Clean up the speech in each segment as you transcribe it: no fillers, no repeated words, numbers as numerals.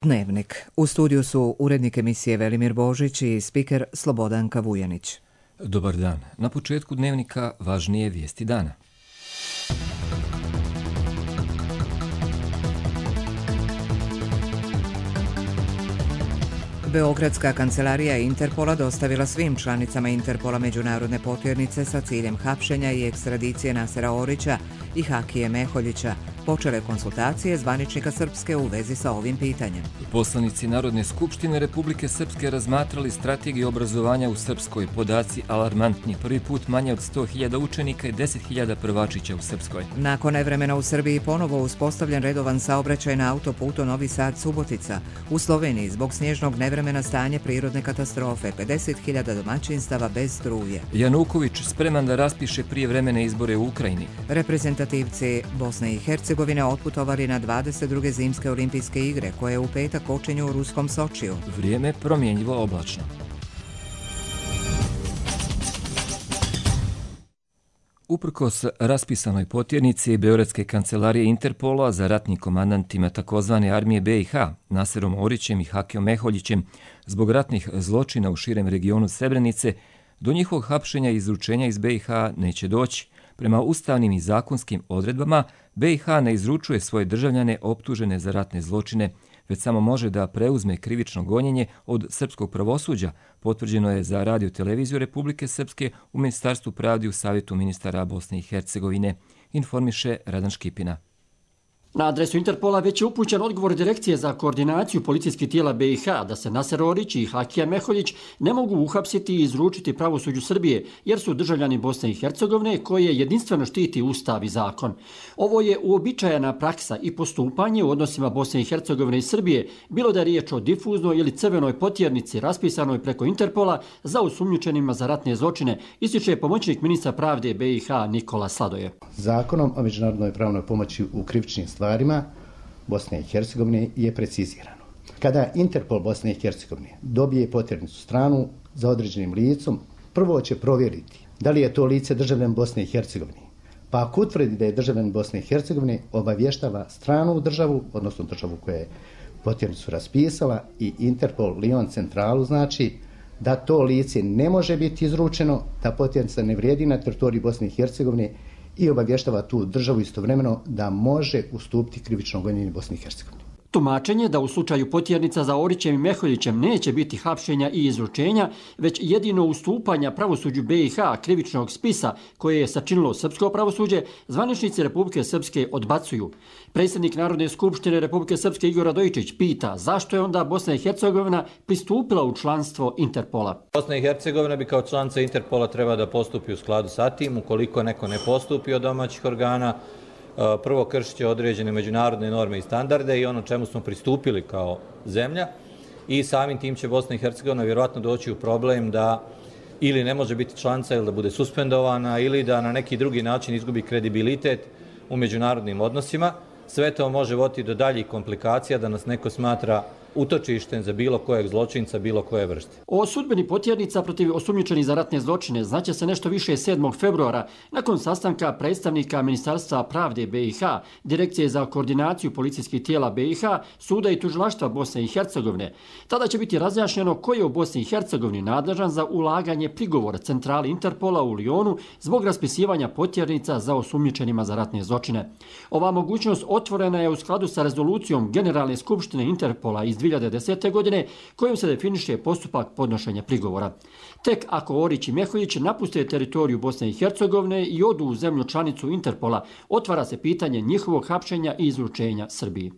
Dnevnik. U studiju su urednik emisije Velimir Božić i spiker Slobodanka Vujanić. Dobar dan. Na početku Dnevnika važnije vijesti dana. Beogradska kancelarija Interpola dostavila svim članicama Interpola međunarodne potjernice sa ciljem hapšenja i ekstradicije Nasera Orića i Hakije Meholjića. Počele konsultacije zvaničnika Srpske u vezi sa ovim pitanjem. Poslanici Narodne skupštine Republike Srpske razmatrali strategiju obrazovanja u Srpskoj. Podaci alarmantni. Prvi put manje od 100.000 učenika i 10.000 prvačića u Srpskoj. Nakon nevremena u Srbiji ponovo uspostavljen redovan saobraćaj na autoputu Novi Sad-Subotica. U Sloveniji zbog snježnog nevremena stanje prirodne katastrofe. 50.000 domaćinstava bez struje. Januković spreman da raspiše prijevremene izbore u Ukrajini. Reprezentativci Bosne i Hercegovine otputovali na 22. zimske olimpijske igre koje u petak počinju u ruskom Sočiju. Vrijeme promjenjivo oblačno. Uprkos raspisanoj potjernici Beogradske kancelarije Interpola za ratnim komandantima tzv. Armije BiH, Naserom Orićem i Hakijom Meholjićem, zbog ratnih zločina u širem regionu Srebrenice, do njihovog hapšenja i izručenja iz BiH neće doći. Prema ustavnim i zakonskim odredbama, BiH ne izručuje svoje državljane optužene za ratne zločine, već samo može da preuzme krivično gonjenje od srpskog pravosuđa, potvrđeno je za Radio-televiziju Republike Srpske u Ministarstvu pravde u Savjetu ministara Bosne i Hercegovine, informiše Radan Škipina. Na adresu Interpola već je upućen odgovor Direkcije za koordinaciju policijskih tijela BiH da se Naser Orić i Hakija Meholjić ne mogu uhapsiti i izručiti pravosuđu Srbije jer su državljani Bosne i Hercegovine koje jedinstveno štiti Ustav i zakon. Ovo je uobičajena praksa i postupanje u odnosima Bosne i Hercegovine i Srbije, bilo da je riječ o difuznoj ili crvenoj potjernici raspisanoj preko Interpola za osumnjičenima za ratne zločine, ističe pomoćnik ministra pravde BiH Nikola Sladoje. Zakonom o međunarodnoj pravnoj pomoći u krivičnim stvarima Bosne i Hercegovine je precizirano. Kada Interpol Bosne i Hercegovine dobije potjernicu stranu za određenim licom, prvo će provjeriti da li je to lice državljan Bosne i Hercegovine. Pa ako utvrdi da je državljan Bosne i Hercegovine, obavještava stranu državu, odnosno državu koja je potjernicu raspisala, i Interpol Lyon centralu, znači da to lice ne može biti izručeno, da potjernica ne vrijedi na teritoriji Bosne i Hercegovine, i obavještava tu državu istovremeno da može ustupiti krivično gonjenje Bosne i Hercegovine. Tumačenje da u slučaju potjernica za Orićem i Meholjićem neće biti hapšenja i izručenja, već jedino ustupanja pravosuđu BiH krivičnog spisa koje je sačinilo srpsko pravosuđe, zvaničnici Republike Srpske odbacuju. Predsjednik Narodne skupštine Republike Srpske Igor Radojičić pita zašto je onda Bosna i Hercegovina pristupila u članstvo Interpola. Bosna i Hercegovina bi kao članica Interpola treba da postupi u skladu sa tim. Ukoliko neko ne postupi od domaćih organa, prvo kršit će određene međunarodne norme i standarde i ono čemu smo pristupili kao zemlja, i samim tim će Bosna i Hercegovina vjerojatno doći u problem da ili ne može biti članica ili da bude suspendovana ili da na neki drugi način izgubi kredibilitet u međunarodnim odnosima. Sve to može voditi do daljih komplikacija da nas neko smatra utočištem za bilo kojeg zločinca, bilo koje vrste. O sudbeni potjernica protiv osumnjičenih za ratne zločine znaće se nešto više 7. februara nakon sastanka predstavnika Ministarstva pravde BiH, Direkcije za koordinaciju policijskih tijela BiH, Suda i tužilaštva Bosne i Hercegovine. Tada će biti razjašnjeno ko je u Bosni i Hercegovini nadležan za ulaganje prigovora centrali Interpola u Lyonu zbog raspisivanja potjernica za osumnjičenima za ratne zločine. Ova mogućnost otvorena je u skladu sa rezolucijom Generalne skupštine Interpola iz 2010. godine kojom se definiše postupak podnošenja prigovora. Tek ako Orić i Meholjić napuste teritoriju Bosne i Hercegovine i odu u zemlju članicu Interpola, otvara se pitanje njihovog hapšenja i izručenja Srbiji.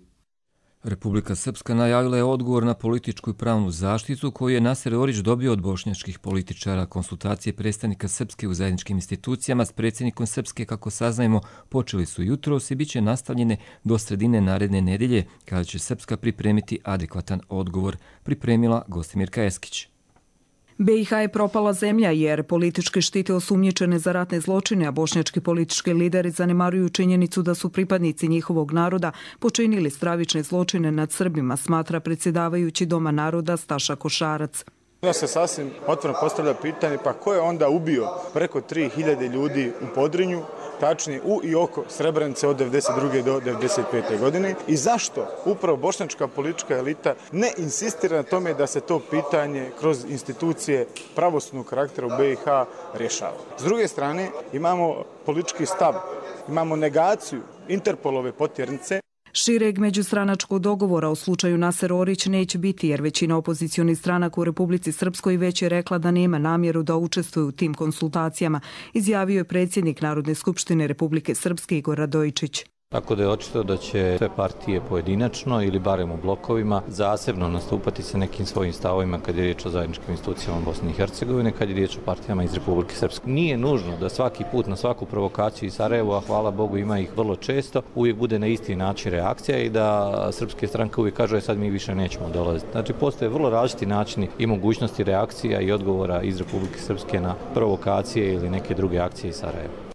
Republika Srpska najavila je odgovor na političku i pravnu zaštitu koju je Naser Orić dobio od bošnjačkih političara. Konsultacije predstavnika Srpske u zajedničkim institucijama s predsjednikom Srpske, kako saznajemo, počeli su jutros i bit će nastavljene do sredine naredne nedelje, kada će Srpska pripremiti adekvatan odgovor, pripremila Gostimirka Eskić. BiH je propala zemlja jer politički štite osumnjičene za ratne zločine, a bošnjački politički lideri zanemaruju činjenicu da su pripadnici njihovog naroda počinili stravične zločine nad Srbima, smatra predsjedavajući Doma naroda Staša Košarac. Da se sasvim otvoreno postavlja pitanje pa ko je onda ubio preko 3000 ljudi u Podrinju, tačnije u i oko Srebrenice od 1992. do 1995. godine i zašto upravo bošnjačka politička elita ne insistira na tome da se to pitanje kroz institucije pravosudnog karaktera u BiH rješava. S druge strane imamo politički stav, imamo negaciju Interpolove potjernice. Šireg međustranačkog dogovora u slučaju Naser Orić neće biti jer većina opozicionih stranaka u Republici Srpskoj već je rekla da nema namjeru da učestvuje u tim konsultacijama, izjavio je predsjednik Narodne skupštine Republike Srpske Igor Radojičić. Tako da je očito da će sve partije pojedinačno ili barem u blokovima zasebno nastupati sa nekim svojim stavovima kad je riječ o zajedničkim institucijama Bosne i Hercegovine, kad je riječ o partijama iz Republike Srpske. Nije nužno da svaki put na svaku provokaciju iz Sarajeva, a hvala Bogu ima ih vrlo često, uvijek bude na isti način reakcija i da srpske stranke uvijek kažu sad mi više nećemo dolaziti. Znači postoje vrlo različiti načini i mogućnosti reakcija i odgovora iz Republike Srpske na provokacije ili neke druge akcije iz Sarajeva.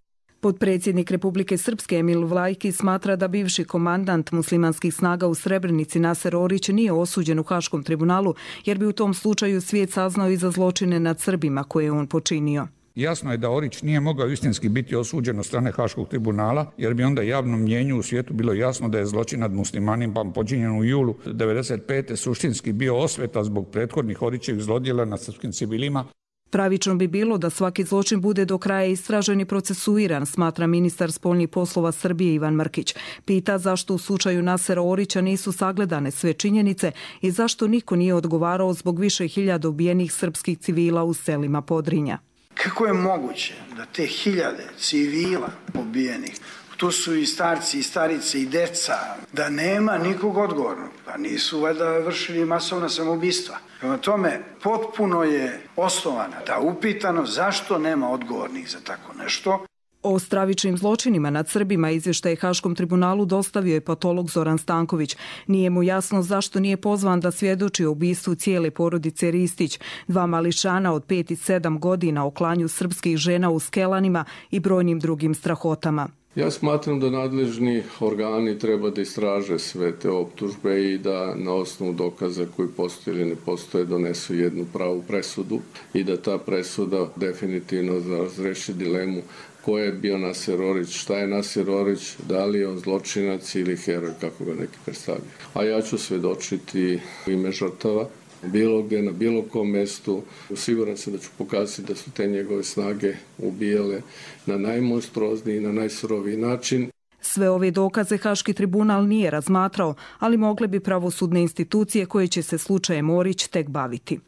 Potpredsjednik Republike Srpske Emil Vlajki smatra da bivši komandant muslimanskih snaga u Srebrenici Naser Orić nije osuđen u Haškom tribunalu jer bi u tom slučaju svijet saznao i za zločine nad Srbima koje je on počinio. Jasno je da Orić nije mogao istinski biti osuđen od strane Haškog tribunala jer bi onda javnom mnjenju u svijetu bilo jasno da je zločin nad muslimanima počinjen u julu 1995. suštinski bio osveta zbog prethodnih Orićevih zlodjela nad srpskim civilima. Pravično bi bilo da svaki zločin bude do kraja istražen i procesuiran, smatra ministar spoljnih poslova Srbije Ivan Mrkić. Pita zašto u slučaju Nasera Orića nisu sagledane sve činjenice i zašto niko nije odgovarao zbog više hiljada ubijenih srpskih civila u selima Podrinja. Kako je moguće da te hiljade civila ubijenih, tu su i starci, i starice, i deca, da nema nikog odgovornog, pa nisu valjda vršili masovna samoubistva. Prema tome, potpuno je osnovana ta upitanost zašto nema odgovornih za tako nešto. O stravičnim zločinima nad Srbima izvještaj Haškom tribunalu dostavio je patolog Zoran Stanković. Nije mu jasno zašto nije pozvan da svjedoči o ubistvu cijele porodice Ristić, 2 mališana od 5 i 7 godina o klanju srpskih žena u Skelanima i brojnim drugim strahotama. Ja smatram da nadležni organi treba da istraže sve te optužbe i da na osnovu dokaza koji postoje ili ne postoje donesu jednu pravu presudu i da ta presuda definitivno razreši dilemu ko je bio Naser Orić, šta je Naser Orić, da li je on zločinac ili heroj, kako ga neki predstavljaju. A ja ću svedočiti u ime žrtava, bilo gdje, na bilo kom mjestu. Siguran sam da ću pokazati da su te njegove snage ubijale na najmonstruozniji i na najsuroviji način. Sve ove dokaze Haški tribunal nije razmatrao, ali mogle bi pravosudne institucije koje će se slučajem Orić tek baviti.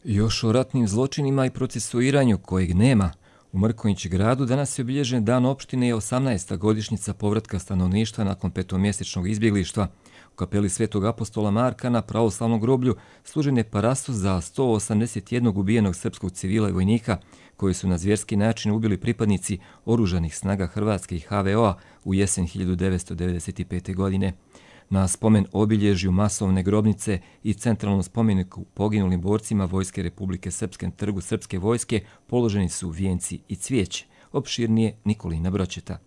Još o ratnim zločinima i procesuiranju kojeg nema. U Mrkonjić gradu danas je obilježen dan opštine i 18. godišnjica povratka stanovništva nakon 5-mjesečnog izbjeglištva. U kapeli Svetog apostola Marka na pravoslavnom groblju služen je parastos za 181 ubijenog srpskog civila i vojnika koji su na zvjerski način ubili pripadnici oružanih snaga Hrvatske i HVO-a u jesen 1995. godine. Na spomen obilježju masovne grobnice i centralnom spomeniku poginulim borcima Vojske Republike Srpske na trgu Srpske vojske položeni su vijenci i cvijeće. Opširnije Nikolina Bročeta.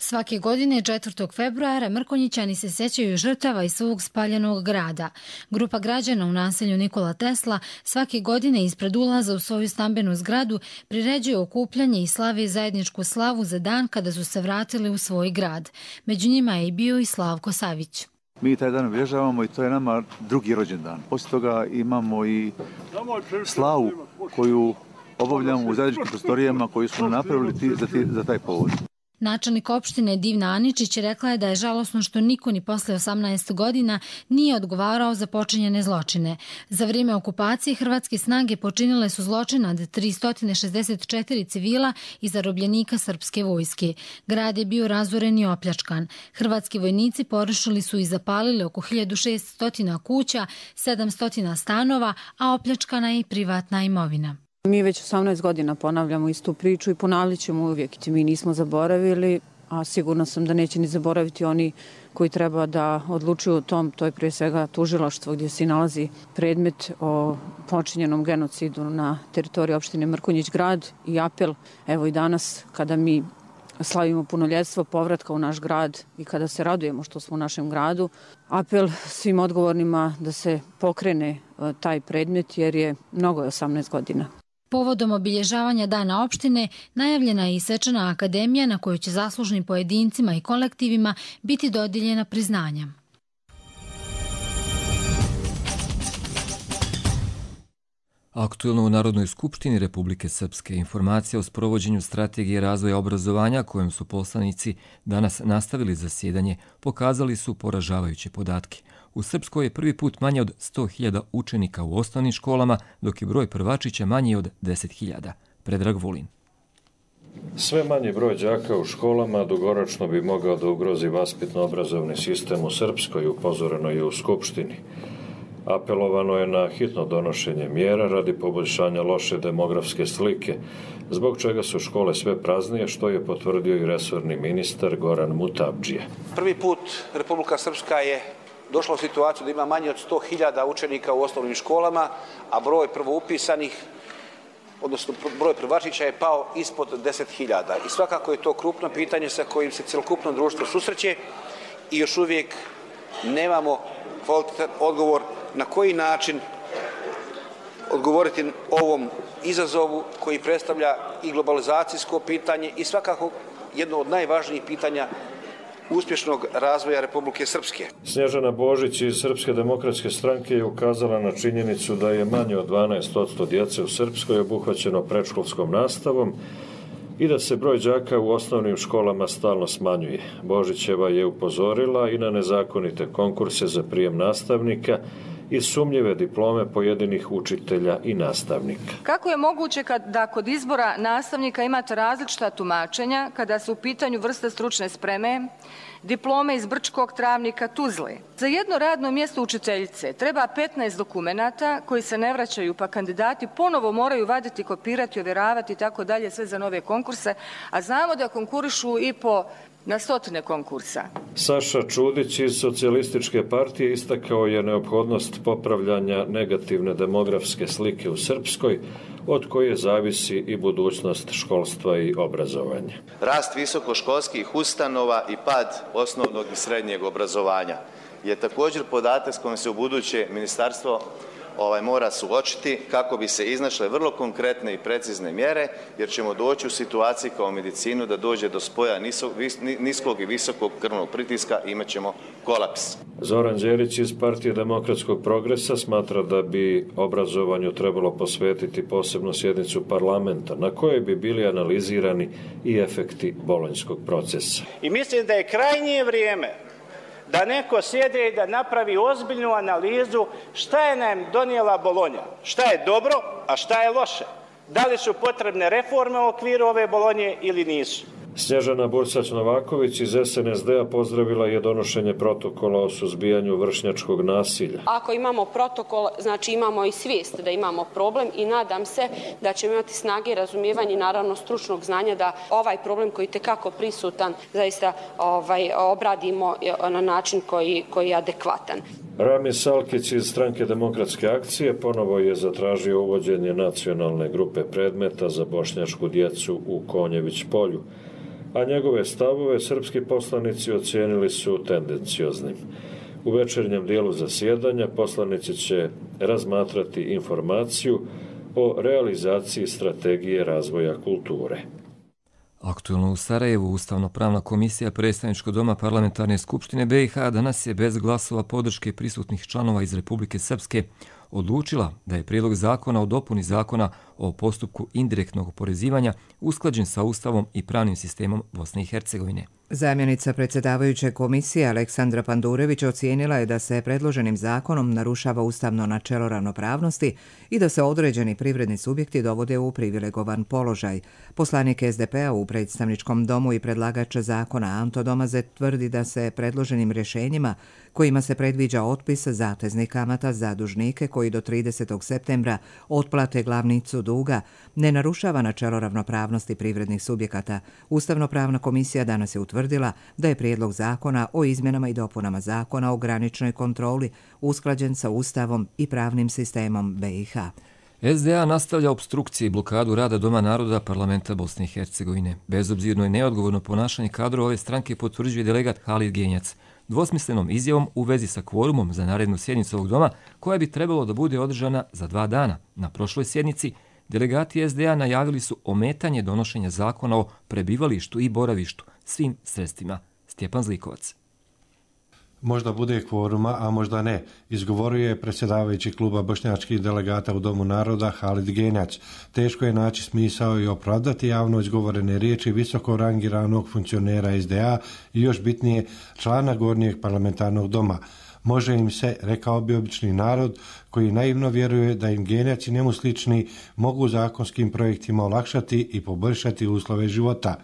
Svake godine 4. februara Mrkonjićani se sjećaju žrtava iz svog spaljenog grada. Grupa građana u naselju Nikola Tesla svake godine ispred ulaza u svoju stambenu zgradu priređuje okupljanje i slave zajedničku slavu za dan kada su se vratili u svoj grad. Među njima je i bio i Slavko Savić. Mi taj dan obilježavamo i to je nama drugi rođendan. Poslije toga imamo i slavu koju obavljamo u zajedničkim prostorijama koju smo napravili za taj povod. Načelnik opštine Divna Aničić rekla je da je žalosno što niko ni posle 18 godina nije odgovarao za počinjene zločine. Za vrijeme okupacije hrvatske snage počinile su zločin nad 364 civila i zarobljenika srpske vojske. Grad je bio razoren i opljačkan. Hrvatski vojnici porušili su i zapalili oko 1600 kuća, 700 stanova, a opljačkana je i privatna imovina. Mi već 18 godina ponavljamo istu priču i ponavljat ćemo uvijek. Mi nismo zaboravili, a sigurno sam da neće ni zaboraviti oni koji treba da odlučuju o tom. To je prije svega tužilaštvo gdje se nalazi predmet o počinjenom genocidu na teritoriji opštine Mrkonjić grad i apel. Evo i danas kada mi slavimo punoljetstvo povratka u naš grad i kada se radujemo što smo u našem gradu. Apel svim odgovornima da se pokrene taj predmet jer je mnogo 18 godina. Povodom obilježavanja Dana opštine najavljena je i svečana akademija na kojoj će zaslužnim pojedincima i kolektivima biti dodijeljena priznanja. Aktuelno u Narodnoj skupštini Republike Srpske informacija o sprovođenju strategije razvoja obrazovanja kojom su poslanici danas nastavili zasjedanje pokazali su poražavajuće podatke. U Srpskoj je prvi put manje od 100.000 učenika u osnovnim školama, dok je broj prvačića manji od 10.000. Predrag Vulin. Sve manji broj đaka u školama dugoročno bi mogao da ugrozi vaspitno-obrazovni sistem u Srpskoj, upozoreno je u Skupštini. Apelovano je na hitno donošenje mjera radi poboljšanja loše demografske slike, zbog čega su škole sve praznije, što je potvrdio i resorni ministar Goran Mutabdžija. Prvi put Republika Srpska je došla u situaciju da ima manje od 100.000 učenika u osnovnim školama, a broj prvoupisanih, odnosno broj prvačića je pao ispod 10.000. I svakako je to krupno pitanje sa kojim se celokupno društvo susreće i još uvijek nemamo kvalitetan odgovor na koji način odgovoriti ovom izazovu koji predstavlja i globalizacijsko pitanje i svakako jedno od najvažnijih pitanja uspješnog razvoja Republike Srpske. Snježana Božić iz Srpske demokratske stranke je ukazala na činjenicu da je manje od 12% djece u Srpskoj obuhvaćeno predškolskom nastavom i da se broj đaka u osnovnim školama stalno smanjuje. Božićeva je upozorila i na nezakonite konkurse za prijem nastavnika i sumnjive diplome pojedinih učitelja i nastavnika. Kako je moguće da kod izbora nastavnika imate različita tumačenja kada su u pitanju vrste stručne spreme, diplome iz Brčkog, Travnika, Tuzle? Za jedno radno mjesto učiteljice treba 15 dokumenata koji se ne vraćaju, pa kandidati ponovo moraju vaditi, kopirati, ovjeravati i tako dalje, sve za nove konkurse, a znamo da konkurišu i po na stotine konkursa. Saša Čudić iz Socijalističke partije istakao je neophodnost popravljanja negativne demografske slike u Srpskoj, od koje zavisi i budućnost školstva i obrazovanja. Rast visokoškolskih ustanova i pad osnovnog i srednjeg obrazovanja je također podatak s kojim se u buduće ministarstvo mora suočiti kako bi se iznašle vrlo konkretne i precizne mjere, jer ćemo doći u situaciji kao medicinu da dođe do spoja niskog i visokog krvnog pritiska i imat ćemo kolaps. Zoran Đerić iz Partije demokratskog progresa smatra da bi obrazovanju trebalo posvetiti posebnu sjednicu parlamenta na kojoj bi bili analizirani i efekti bolonjskog procesa. I mislim da je krajnje vrijeme da neko sjede i da napravi ozbiljnu analizu šta je nam donijela Bolonja, šta je dobro, a šta je loše. Da li su potrebne reforme u okviru ove Bolonje ili nisu. Snježana Bursać-Novaković iz SNSD-a pozdravila je donošenje protokola o suzbijanju vršnjačkog nasilja. Ako imamo protokol, znači imamo i svijest da imamo problem i nadam se da ćemo imati snage i razumijevanje i naravno stručnog znanja da ovaj problem koji je tekako prisutan zaista obradimo na način koji je adekvatan. Rami Salkić iz Stranke demokratske akcije ponovo je zatražio uvođenje nacionalne grupe predmeta za bošnjačku djecu u Konjević polju, a njegove stavove srpski poslanici ocijenili su tendencioznim. U večernjem dijelu zasjedanja poslanici će razmatrati informaciju o realizaciji strategije razvoja kulture. Aktuelno u Sarajevu Ustavno-pravna komisija Predstavničkog doma Parlamentarne skupštine BiH danas je bez glasova podrške prisutnih članova iz Republike Srpske odlučila da je prijedlog zakona o dopuni zakona o postupku indirektnog oporezivanja usklađen sa Ustavom i pravnim sistemom Bosne i Hercegovine. Zamjenica predsjedavajuće komisije Aleksandra Pandurević ocijenila je da se predloženim zakonom narušava ustavno načelo ravnopravnosti i da se određeni privredni subjekti dovode u privilegovan položaj. Poslanik SDP-a u predstavničkom domu i predlagač zakona Anto Domaze tvrdi da se predloženim rješenjima kojima se predviđa otpis zateznih kamata za dužnike koji do 30. septembra otplate glavnicu duga ne narušava načelo ravnopravnosti privrednih subjekata. Ustavno-pravna komisija danas je utvrdila da je prijedlog zakona o izmjenama i dopunama zakona o graničnoj kontroli usklađen sa Ustavom i pravnim sistemom BiH. SDA nastavlja opstrukcije i blokadu rada Doma naroda parlamenta Bosne i Hercegovine. Bezobzirno i neodgovorno ponašanje kadrova ove stranke potvrđuje delegat Halid Genjac dvosmislenom izjavom u vezi sa kvorumom za narednu sjednicu ovog doma, koja bi trebalo da bude održana za 2 dana. Na prošloj sjednici delegati SDA najavili su ometanje donošenja zakona o prebivalištu i boravištu svim sredstvima. Stjepan Zlikovac. Možda bude kvoruma, a možda ne, izgovorio je predsjedavajući kluba bošnjačkih delegata u Domu naroda Halid Genjac. Teško je naći smisao i opravdati javno izgovorene riječi visoko rangiranog funkcionera SDA i još bitnije člana gornjeg parlamentarnog doma. Može im se, rekao bi obični narod, koji naivno vjeruje da im Genjac i njemu slični mogu zakonskim projektima olakšati i poboljšati uslove života.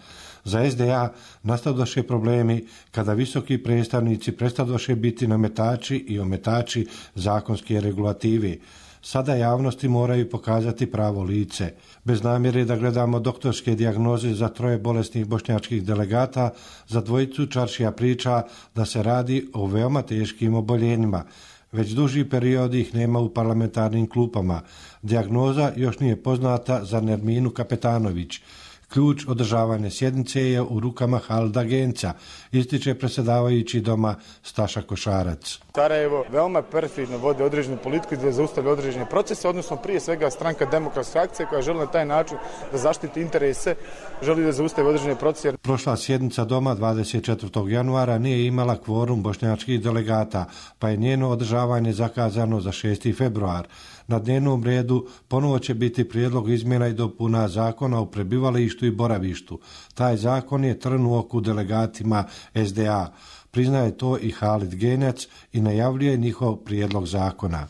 Za SDA nastadoše problemi kada visoki predstavnici prestadoše biti nametači i ometači zakonske regulative. Sada javnosti moraju pokazati pravo lice. Bez namjere da gledamo doktorske dijagnoze za 3 bolesnih bošnjačkih delegata, za dvojicu čaršija priča da se radi o veoma teškim oboljenjima. Već duži period ih nema u parlamentarnim klupama. Dijagnoza još nije poznata za Nerminu Kapetanović. Ključ održavanja sjednice je u rukama Halida Genca, ističe predsjedavajući doma Staša Košarac. Sarajevo veoma perfidno vodi određenu politiku i da zaustavlja određene procese, odnosno prije svega stranka Demokratska akcija koja želi na taj način da zaštiti interese, želi da zaustavi određene procese. Prošla sjednica doma 24. januara nije imala kvorum bošnjačkih delegata, pa je njeno održavanje zakazano za 6. februar. Na dnevnom redu ponovo će biti prijedlog izmjena i dopuna zakona o prebivalištu i boravištu. Taj zakon je trn u oku delegatima SDA. Priznaje to i Halid Genjac i najavljuje njihov prijedlog zakona.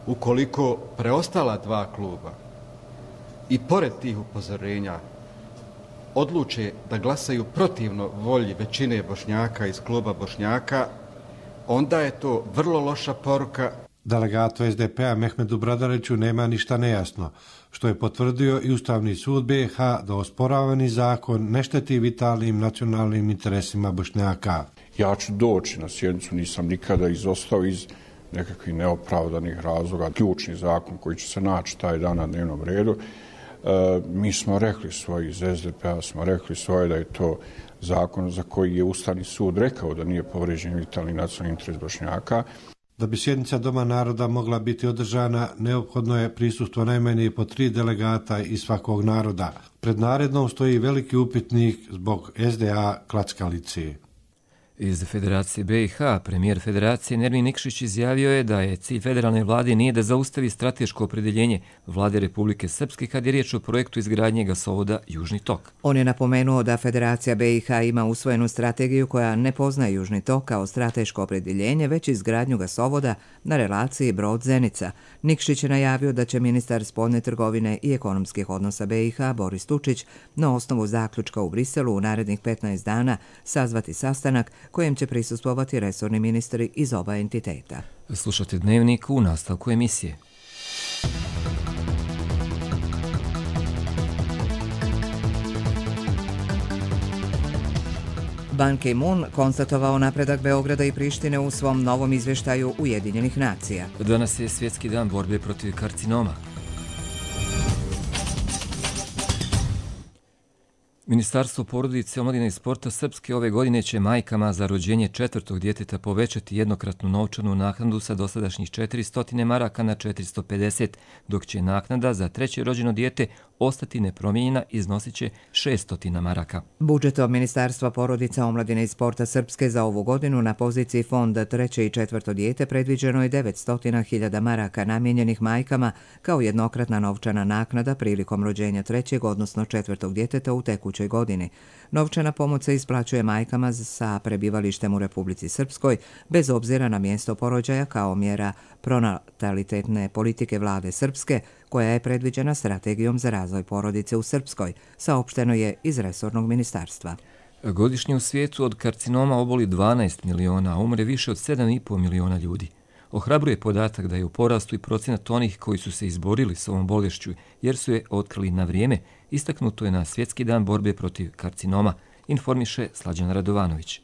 Ukoliko preostala 2 kluba i pored tih upozorenja odluče da glasaju protivno volji većine Bošnjaka iz kluba Bošnjaka, onda je to vrlo loša poruka. Delegatu SDP-a Mehmedu Bradariću nema ništa nejasno, što je potvrdio i Ustavni sud BiH da osporavani zakon ne šteti vitalnim nacionalnim interesima Bošnjaka. Ja ću doći na sjednicu, nisam nikada izostao iz nekakvih neopravdanih razloga. Ključni zakon koji će se naći taj dan na dnevnom redu, mi smo rekli svoje iz SDP-a, smo rekli svoje da je to zakon za koji je Ustavni sud rekao da nije povrijeđen vitalni nacionalni interes Bošnjaka. Da bi sjednica Doma naroda mogla biti održana, neophodno je prisustvo najmanje po 3 delegata iz svakog naroda. Pred narednom stoji veliki upitnik zbog SDA klackalice. Iz Federacije BiH premijer Federacije Nermin Nikšić izjavio je da je cilj federalne vlade nije da zaustavi strateško opredjeljenje vlade Republike Srpske kad je riječ o projektu izgradnje gasovoda Južni tok. On je napomenuo da Federacija BiH ima usvojenu strategiju koja ne poznaje Južni tok kao strateško opredjeljenje, već izgradnju gasovoda na relaciji Brod-Zenica. Nikšić je najavio da će ministar spoljne trgovine i ekonomskih odnosa BiH Boris Tučić na osnovu zaključka u Briselu u narednih 15 dana sazvati sastanak kojem će prisustvovati resorni ministri iz oba entiteta. Slušate Dnevnik u nastavku emisije. Ban Ki-moon konstatovao napredak Beograda i Prištine u svom novom izvještaju Ujedinjenih nacija. Danas je svjetski dan borbe protiv karcinoma. Ministarstvo porodice, omladine i sporta Srpske ove godine će majkama za rođenje 4. djeteta povećati jednokratnu novčanu naknadu sa dosadašnjih 400 maraka na 450, dok će naknada za 3. rođeno dijete ostati nepromijenjena i iznosit će 600 maraka. Budžetom Ministarstva porodice, omladine i sporta Srpske za ovu godinu na poziciji fonda 3. i 4. dijete predviđeno je 900.000 maraka namijenjenih majkama kao jednokratna novčana naknada prilikom rođenja 3. odnosno 4. djeteta u tekućoj godini. Novčana pomoć se isplaćuje majkama sa prebivalištem u Republici Srpskoj bez obzira na mjesto porođaja kao mjera pronatalitetne politike vlade Srpske koja je predviđena strategijom za razvoj porodice u Srpskoj, saopšteno je iz resornog ministarstva. Godišnje u svijetu od karcinoma oboli 12 miliona, a umre više od 7,5 miliona ljudi. Ohrabruje podatak da je u porastu i procenat onih koji su se izborili s ovom bolešću jer su je otkrili na vrijeme, istaknuto je na Svjetski dan borbe protiv karcinoma, informiše Slađan Radovanović.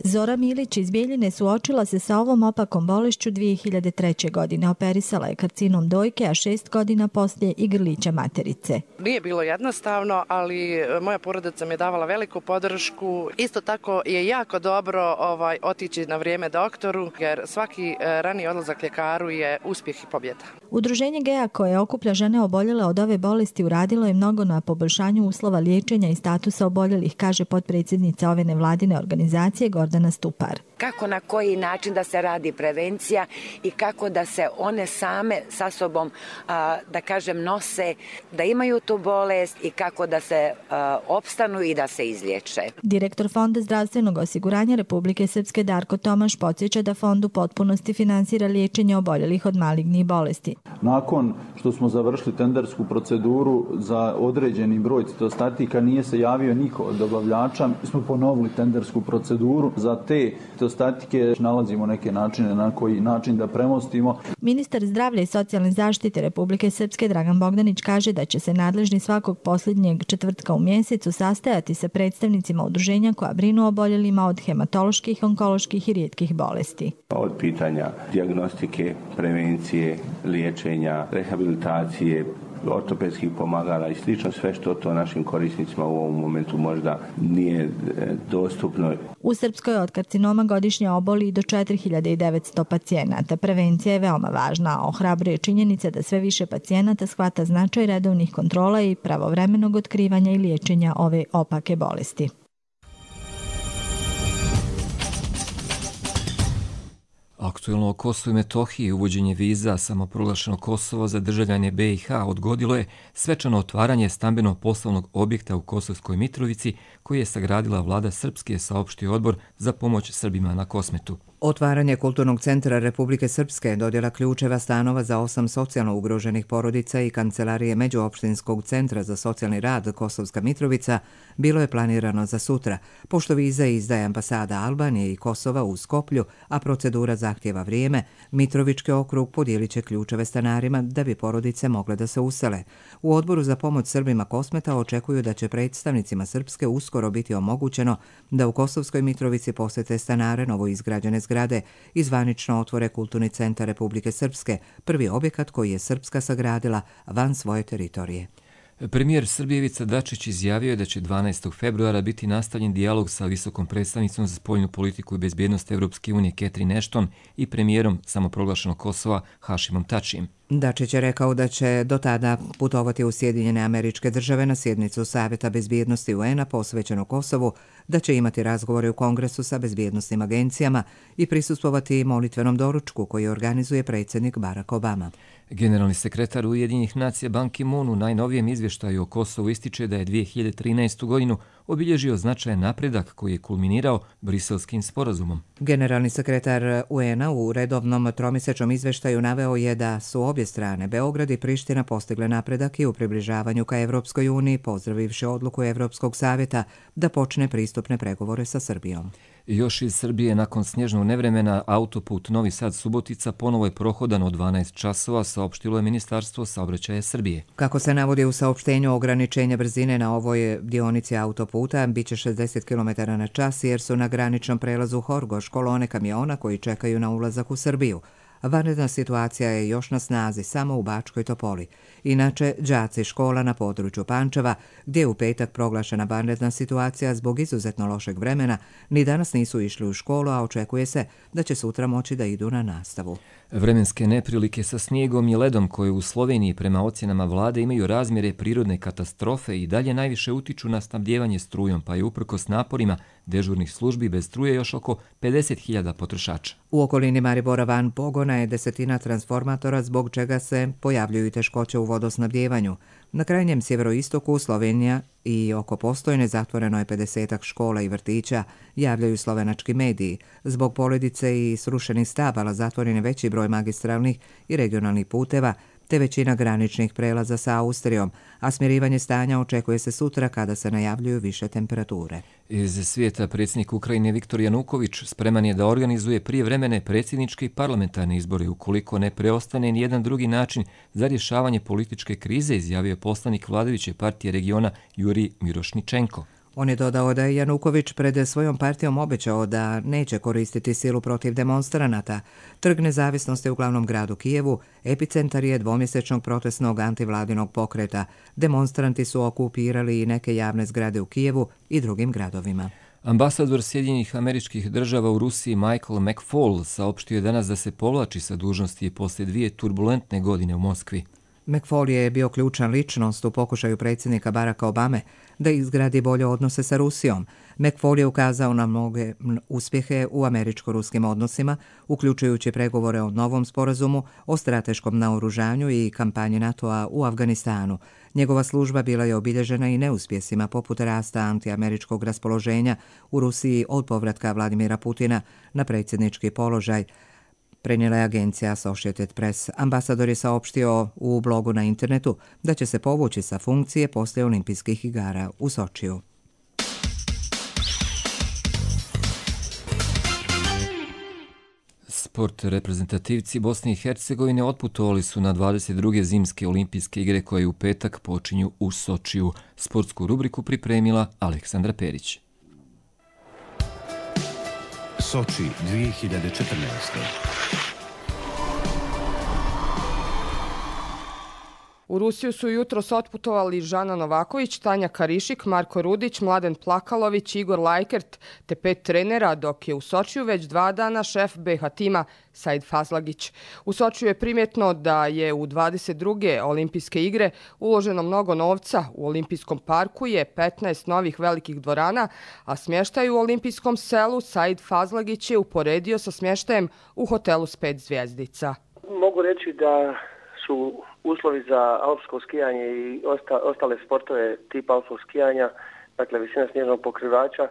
Zora Milić iz Bijeljine suočila se sa ovom opakom bolešću 2003. godine. Operisala je karcinom dojke, a 6 godina poslije i grlića materice. Nije bilo jednostavno, ali moja porodica mi je davala veliku podršku. Isto tako je jako dobro otići na vrijeme doktoru, jer svaki rani odlazak ljekaru je uspjeh i pobjeda. Udruženje GEA koje okuplja žene oboljele od ove bolesti uradilo je mnogo na poboljšanju uslova liječenja i statusa oboljelih, kaže potpredsjednica ove nevladine organizacije Gordana Stupar. Kako, na koji način da se radi prevencija i kako da se one same sa sobom, da kažem, nose, da imaju tu bolest i kako da se opstanu i da se izliječe. Direktor Fonda zdravstvenog osiguranja Republike Srpske Darko Tomaš podsjeća da fond u potpunosti finansira liječenje oboljelih od malignih bolesti. Nakon što smo završili tendersku proceduru za određeni broj citostatika, nije se javio niko od dobavljača. Mi smo ponovili tendersku proceduru za te citostatike. Nalazimo neke načine na koji način da premostimo. Ministar zdravlja i socijalne zaštite Republike Srpske Dragan Bogdanić kaže da će se nadležni svakog posljednjeg četvrtka u mjesecu sastajati sa predstavnicima udruženja koja brinu o oboljelima od hematoloških, onkoloških i rijetkih bolesti. Od pitanja dijagnostike, prevencije, liječenja, rehabilitacije, ortopedskih pomagala i slično, sve što to našim korisnicima u ovom momentu možda nije dostupno. U Srpskoj od karcinoma godišnje oboli do 4900 pacijenata. Prevencija je veoma važna, ohrabruje činjenica da sve više pacijenata shvata značaj redovnih kontrola i pravovremenog otkrivanja i liječenja ove opake bolesti. Aktuelno o Kosovu i Metohiji uvođenje viza samoproglašeno Kosovo za državljane BiH odgodilo je svečano otvaranje stambeno-poslovnog objekta u Kosovskoj Mitrovici koji je sagradila vlada Srpske, saopštio odbor za pomoć Srbima na Kosmetu. Otvaranje Kulturnog centra Republike Srpske, dodjela ključeva stanova za 8 socijalno ugroženih porodica i kancelarije Međuopštinskog centra za socijalni rad Kosovska Mitrovica bilo je planirano za sutra, pošto viza izdaje ambasada Albanije i Kosova u Skoplju, a procedura zahtjeva vrijeme, Mitrovički okrug podijelit će ključeve stanarima da bi porodice mogle da se usele. U odboru za pomoć Srbima Kosmeta očekuju da će predstavnicima Srpske uskoro biti omogućeno da u Kosovskoj Mitrovici posjete stanare novoizgrađene zgrade i zvanično otvore Kulturni centar Republike Srpske, prvi objekat koji je Srpska sagradila van svoje teritorije. Premijer Srbije Ivica Dačić izjavio je da će 12. februara biti nastavljen dijalog sa visokom predstavnicom za spoljnu politiku i bezbjednost Evropske unije Catherine Ashton i premijerom samoproglašenog Kosova Hašimom Tačijem. Dačić je rekao da će do tada putovati u Sjedinjene Američke Države na sjednicu Savjeta bezbjednosti UN-a posvećenu Kosovu, da će imati razgovore u Kongresu sa bezbjednostnim agencijama i prisustvovati molitvenom doručku koji organizuje predsjednik Barack Obama. Generalni sekretar Ujedinjenih nacija Ban Ki-moon u najnovijem izvještaju o Kosovu ističe da je 2013. godinu obilježio značajan napredak koji je kulminirao Briselskim sporazumom. Generalni sekretar UN-a u redovnom tromjesečnom izvještaju naveo je da su obje strane, Beograd i Priština, postigle napredak i u približavanju ka Evropskoj uniji, pozdravivši odluku Evropskog savjeta da počne pristupne pregovore sa Srbijom. Još iz Srbije, nakon snježnog nevremena, autoput Novi Sad-Subotica ponovo je prohodan od 12 časova, saopštilo je Ministarstvo saobraćaja Srbije. Kako se navodi u saopštenju, ograničenje brzine na ovoj dionici autoputa biće 60 km na čas jer su na graničnom prelazu Horgoš kolone kamiona koji čekaju na ulazak u Srbiju. Vanredna situacija je još na snazi samo u Bačkoj Topoli. Inače, đaci škola na području Pančeva, gdje je u petak proglašena vanredna situacija zbog izuzetno lošeg vremena, ni danas nisu išli u školu, a očekuje se da će sutra moći da idu na nastavu. Vremenske neprilike sa snijegom i ledom koje u Sloveniji prema ocjenama vlade imaju razmjere prirodne katastrofe i dalje najviše utiču na snabdijevanje strujom, pa je uprkos naporima dežurnih službi bez struje još oko 50.000 potrošača. U okolini Maribora van pogona je 10 transformatora zbog čega se pojavljuju teškoće u vodosnabdjevanju. Na krajnjem sjeveroistoku Slovenija i oko Postojne zatvoreno je 50 škola i vrtića, javljaju slovenački mediji. Zbog poledice i srušenih stabala zatvoren je veći broj magistralnih i regionalnih puteva, te većina graničnih prelaza sa Austrijom, a smirivanje stanja očekuje se sutra kada se najavljuju više temperature. Iz svijeta predsjednik Ukrajine Viktor Januković spreman je da organizuje prijevremene predsjedničke i parlamentarne izbore ukoliko ne preostane nijedan drugi način za rješavanje političke krize, izjavio poslanik vladajuće partije regiona Jurij Mirošničenko. On je dodao da je Januković pred svojom partijom obećao da neće koristiti silu protiv demonstranata. Trg Nezavisnosti u glavnom gradu Kijevu epicentar je dvomjesečnog protestnog antivladinog pokreta. Demonstranti su okupirali i neke javne zgrade u Kijevu i drugim gradovima. Ambasador Sjedinjenih Američkih Država u Rusiji Michael McFaul saopštio je danas da se povlači sa dužnosti poslije 2 turbulentne godine u Moskvi. McFaul je bio ključan ličnost u pokušaju predsjednika Baracka Obame da izgradi bolje odnose sa Rusijom. McFaul je ukazao na mnoge uspjehe u američko-ruskim odnosima, uključujući pregovore o novom sporazumu, o strateškom naoružanju i kampanji NATO-a u Afganistanu. Njegova služba bila je obilježena i neuspjesima poput rasta antiameričkog raspoloženja u Rusiji od povratka Vladimira Putina na predsjednički položaj, prenijela je agencija Associated Press. Ambasador je saopštio u blogu na internetu da će se povući sa funkcije poslije olimpijskih igara u Sočiju. Sport reprezentativci Bosne i Hercegovine otputovali su na 22. zimske olimpijske igre koje u petak počinju u Sočiju. Sportsku rubriku pripremila Aleksandra Perić. Soči 2014. U Rusiju su jutros otputovali Žana Novaković, Tanja Karišik, Marko Rudić, Mladen Plakalović, Igor Lajkert te 5 trenera, dok je u Sočiju već 2 dana šef BH tima Said Fazlagić. U Sočiju je primjetno da je u 22. olimpijske igre uloženo mnogo novca. U olimpijskom parku je 15 novih velikih dvorana, a smještaj u olimpijskom selu Said Fazlagić je uporedio sa smještajem u hotelu s 5 zvjezdica. Mogu reći da su uslovi za alpsko skijanje i ostale sportove tipa alpskog skijanja, dakle visina snježnog pokrivača,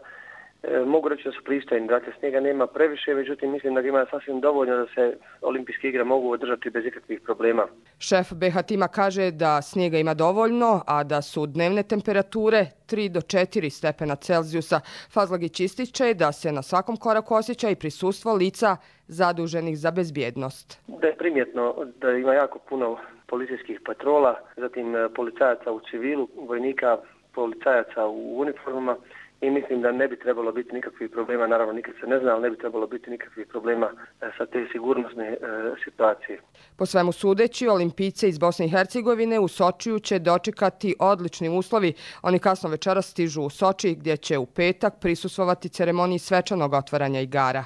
mogu reći da su pristojni. Dakle, snijega nema previše, međutim mislim da ima sasvim dovoljno da se olimpijske igre mogu održati bez ikakvih problema. Šef BH tima kaže da snijega ima dovoljno, a da su dnevne temperature 3 do 4 stepena Celzijusa. Fazlagić ističe da se na svakom koraku osjeća i prisustvo lica zaduženih za bezbjednost. Da je primjetno da ima jako puno policijskih patrola, zatim policajaca u civilu, vojnika, policajaca u uniformama i mislim da ne bi trebalo biti nikakvih problema, naravno nikad se ne zna, ali ne bi trebalo biti nikakvih problema sa te sigurnosne situacije. Po svemu sudeći, olimpijce iz Bosne i Hercegovine u Sočiju će dočekati odlični uslovi. Oni kasno večeras stižu u Soči gdje će u petak prisustvovati ceremoniji svečanog otvaranja igara.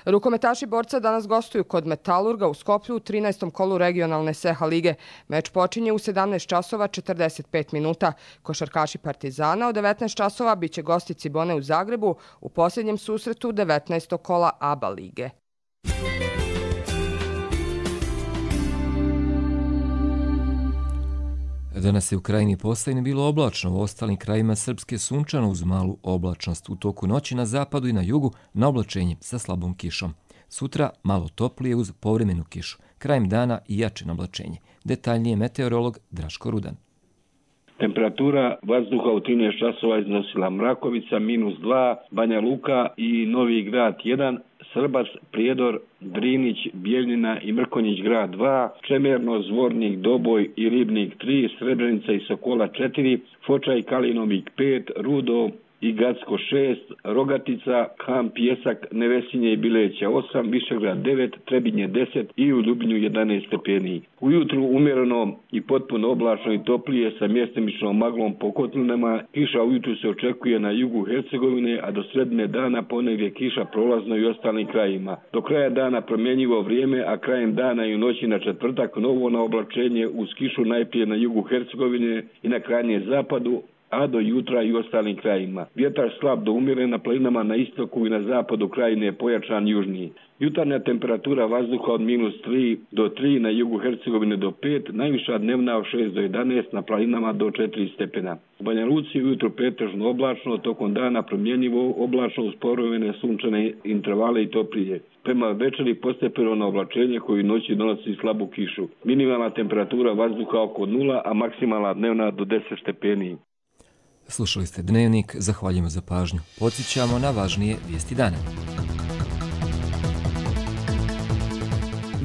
Rukometaši borca danas gostuju kod Metalurga u Skoplju u 13. kolu regionalne SEHA lige. Meč počinje u 17 časova 45 minuta. Košarkaši Partizana od 19 časova biće gosti Cibone u Zagrebu u posljednjem susretu 19. kola ABA lige. Danas je u krajini Posavine bilo oblačno, u ostalim krajima Srpske sunčano uz malu oblačnost. U toku noći na zapadu i na jugu na oblačenje sa slabom kišom. Sutra malo toplije uz povremenu kišu. Krajem dana i jače oblačenje. Detaljnije meteorolog Draško Rudan. Temperatura vazduha u 13 časova iznosila Mrakovica -2, Banja Luka i Novi Grad 1, Srbac, Prijedor, Drinić, Bijeljina i Mrkonjić grad 2, Čemerno, Zvornik, Doboj i Ribnik 3, Srebrenica i Sokola 4, Foča i Kalinovik 5, Rudo i Gacko 6, Rogatica, Ham, Pjesak, Nevesinje i Bileća 8, Višegrad 9, Trebinje 10 i u Ljubinju 11 stepeni. Ujutru umjereno i potpuno oblačno i toplije sa mjestimičnom maglom po kotlinama. Kiša ujutru se očekuje na jugu Hercegovine, a do sredine dana ponegdje kiša prolazno i ostalim krajima. Do kraja dana promjenjivo vrijeme, a krajem dana i u noći na četvrtak novo na oblačenje uz kišu najprije na jugu Hercegovine i na krajnjem zapadu, a do jutra i ostalim krajima. Vjetar slab do umjeren na planinama na istoku i na zapadu krajine je pojačan južniji. Jutarnja temperatura vazduha od -3 do 3, na jugu Hercegovine do 5, najviša dnevna od 6 do 11, na planinama do 4 stepena. U Banja Luci ujutro pretežno oblačno, tokom dana promjenjivo oblačno uz povremene sunčane intervale i toplije. Prema večeri postepeno na oblačenje koji noći donosi slabu kišu. Minimalna temperatura vazduha oko 0, a maksimalna dnevna do 10 stepeni. Slušali ste Dnevnik, zahvaljujemo za pažnju. Podsjećamo na važnije vijesti dana.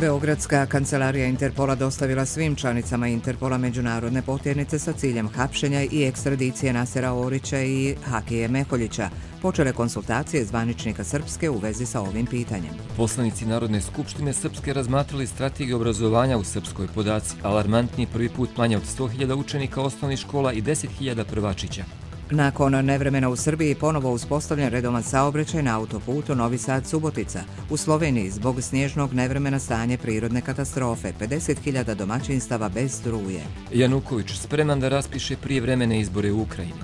Beogradska kancelarija Interpola dostavila svim članicama Interpola međunarodne potjernice sa ciljem hapšenja i ekstradicije Nasera Orića i Hakije Meholjića. Počele konsultacije zvaničnika Srpske u vezi sa ovim pitanjem. Poslanici Narodne skupštine Srpske razmatrali strategiju obrazovanja u Srpskoj. Podaci alarmantni, prvi put manje od 100.000 učenika osnovnih škola i 10.000 prvačića. Nakon nevremena u Srbiji ponovo uspostavljen redovan saobraćaj na autoputu Novi Sad-Subotica. U Sloveniji zbog snježnog nevremena stanje prirodne katastrofe, 50.000 domaćinstava bez struje. Januković spreman da raspiše prijevremene izbore u Ukrajini.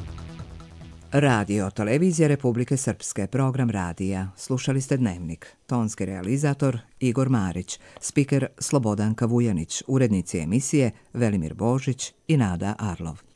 Radio, televizija Republike Srpske, program radija. Slušali ste Dnevnik. Tonski realizator Igor Marić, spiker Slobodanka Vujanić, urednici emisije Velimir Božić i Nada Arlov.